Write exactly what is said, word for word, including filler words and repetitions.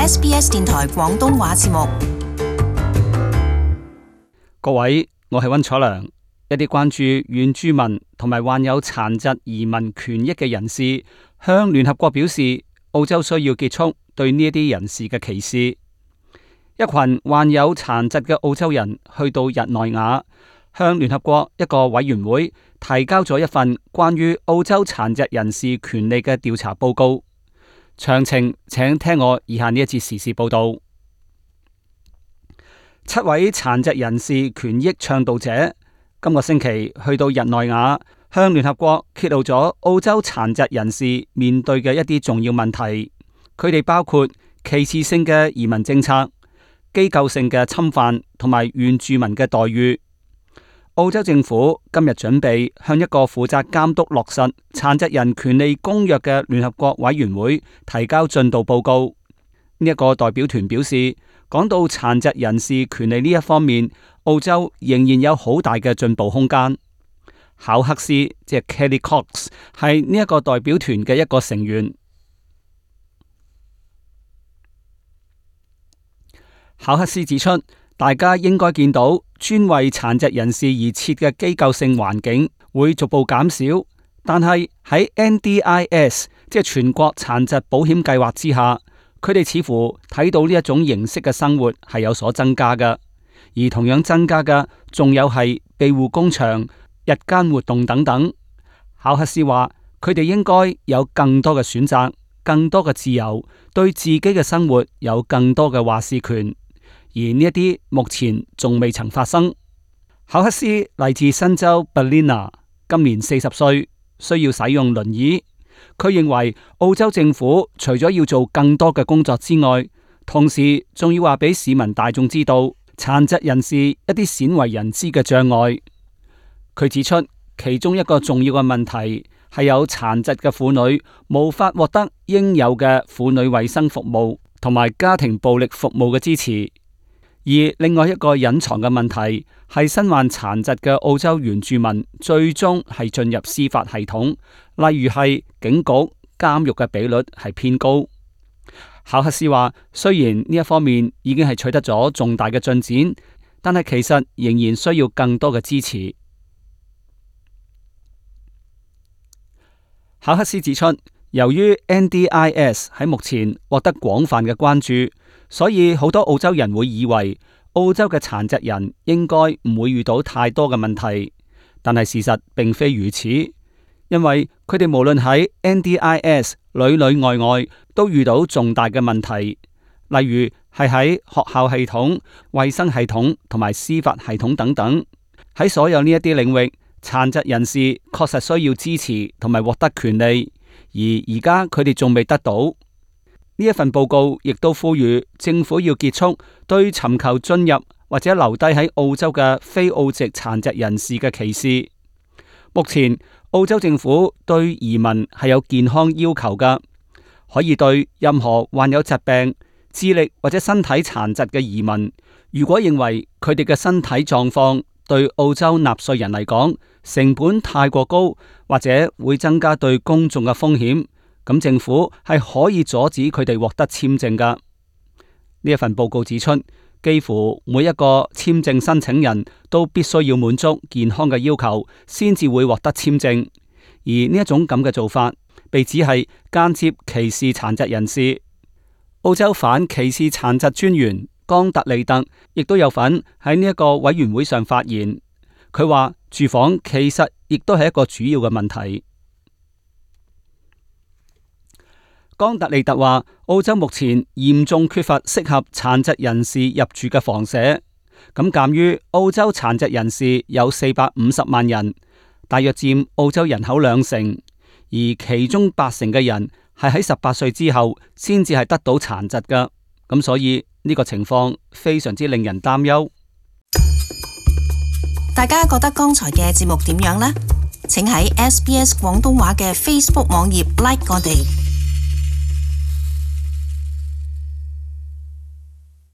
S B S 電台廣東話節目。各位，我係溫楚良。一啲關注原住民同埋患有殘疾移民權益嘅人士向聯合國表示，澳洲需要結束對呢一啲人士嘅歧視。一群患有殘疾嘅澳洲人去到日內瓦，向聯合國一個委員會提交咗一份關於澳洲殘疾人士權利嘅調查報告。詳情請聽我以下呢一節時事報道。七位殘疾人士權益倡導者今個星期去到日內瓦，向聯合國揭露咗澳洲殘疾人士面對嘅一啲重要問題。佢哋包括歧視性嘅移民政策、機構性嘅侵犯同埋原住民嘅待遇。澳洲政府今日準備向一個負責監督落實殘疾人權利公約嘅聯合國委員會提交進度報告。呢、這、一個代表團表示，講到殘疾人士權利呢一方面，澳洲仍然有好大嘅進步空間。考克斯即係 Kelly Cox 係呢一個代表團嘅一個成員。考克斯指出，大家應該見到專為殘疾人士而設嘅機構性環境會逐步減少，但係喺 N D I S 即係全國殘疾保險計劃之下，佢哋似乎睇到呢一種形式嘅生活係有所增加嘅，而同樣增加嘅仲有係庇護工場、日間活動等等。考克斯話，佢哋應該有更多嘅選擇，更多嘅自由，對自己嘅生活有更多嘅話事權。而呢一啲目前仲未曾發生。考克斯嚟自新州 Ballina， 今年四十歲，需要使用輪椅。佢認為澳洲政府除咗要做更多嘅工作之外，同時仲要話俾市民大眾知道殘疾人士一啲鮮為人知嘅障礙。佢指出，其中一個重要嘅問題係有殘疾嘅婦女無法獲得應有嘅婦女衛生服務同埋家庭暴力服務嘅支持。而另外一個隱藏嘅問題係身患殘疾嘅澳洲原住民最終係進入司法系統，例如係警局、監獄嘅比率係偏高。考克斯話，雖然呢一方面已經係取得咗重大嘅進展，但係其實仍然需要更多嘅支持。考克斯指出，由於 N D I S 喺目前獲得廣泛嘅關注，所以好多澳洲人會以為澳洲嘅殘疾人應該唔會遇到太多嘅問題，但係事實並非如此，因為佢哋無論喺 N D I S 裏裏外外都遇到重大嘅問題，例如係喺學校系統、衛生系統同埋司法系統等等。喺所有呢一啲領域，殘疾人士確實需要支持同埋獲得權利，而而家佢哋仲未得到。呢一份報告亦都呼籲政府要結束對尋求進入或者留低喺澳洲嘅非澳籍殘疾人士嘅歧視。目前澳洲政府對移民係有健康要求㗎，可以對任何患有疾病、智力或者身體殘疾嘅移民，如果認為佢哋嘅身體狀況對澳洲納稅人嚟講成本太過高，或者會增加對公眾嘅風險，咁政府係可以阻止佢哋獲得簽證噶。呢一份報告指出，幾乎每一個簽證申請人都必須要滿足健康嘅要求，先至會獲得簽證。而呢一種咁嘅做法，被指係間接歧視殘疾人士。澳洲反歧視殘疾專員岡特利特亦都有份喺呢一個委員會上發言。佢話住房其實亦都係一個主要嘅問題。岡特利特話，澳洲目前嚴重缺乏適合殘疾人士入住嘅房舍。咁鑒於澳洲殘疾人士有四百五十萬人，大約佔澳洲人口兩成，而其中八成嘅人係喺十八歲之後先至係得到殘疾㗎。咁所以呢個情況非常之令人擔憂。大家覺得剛才嘅節目點樣呢？請喺 S B S 廣東話嘅 Facebook 網頁 like 我哋。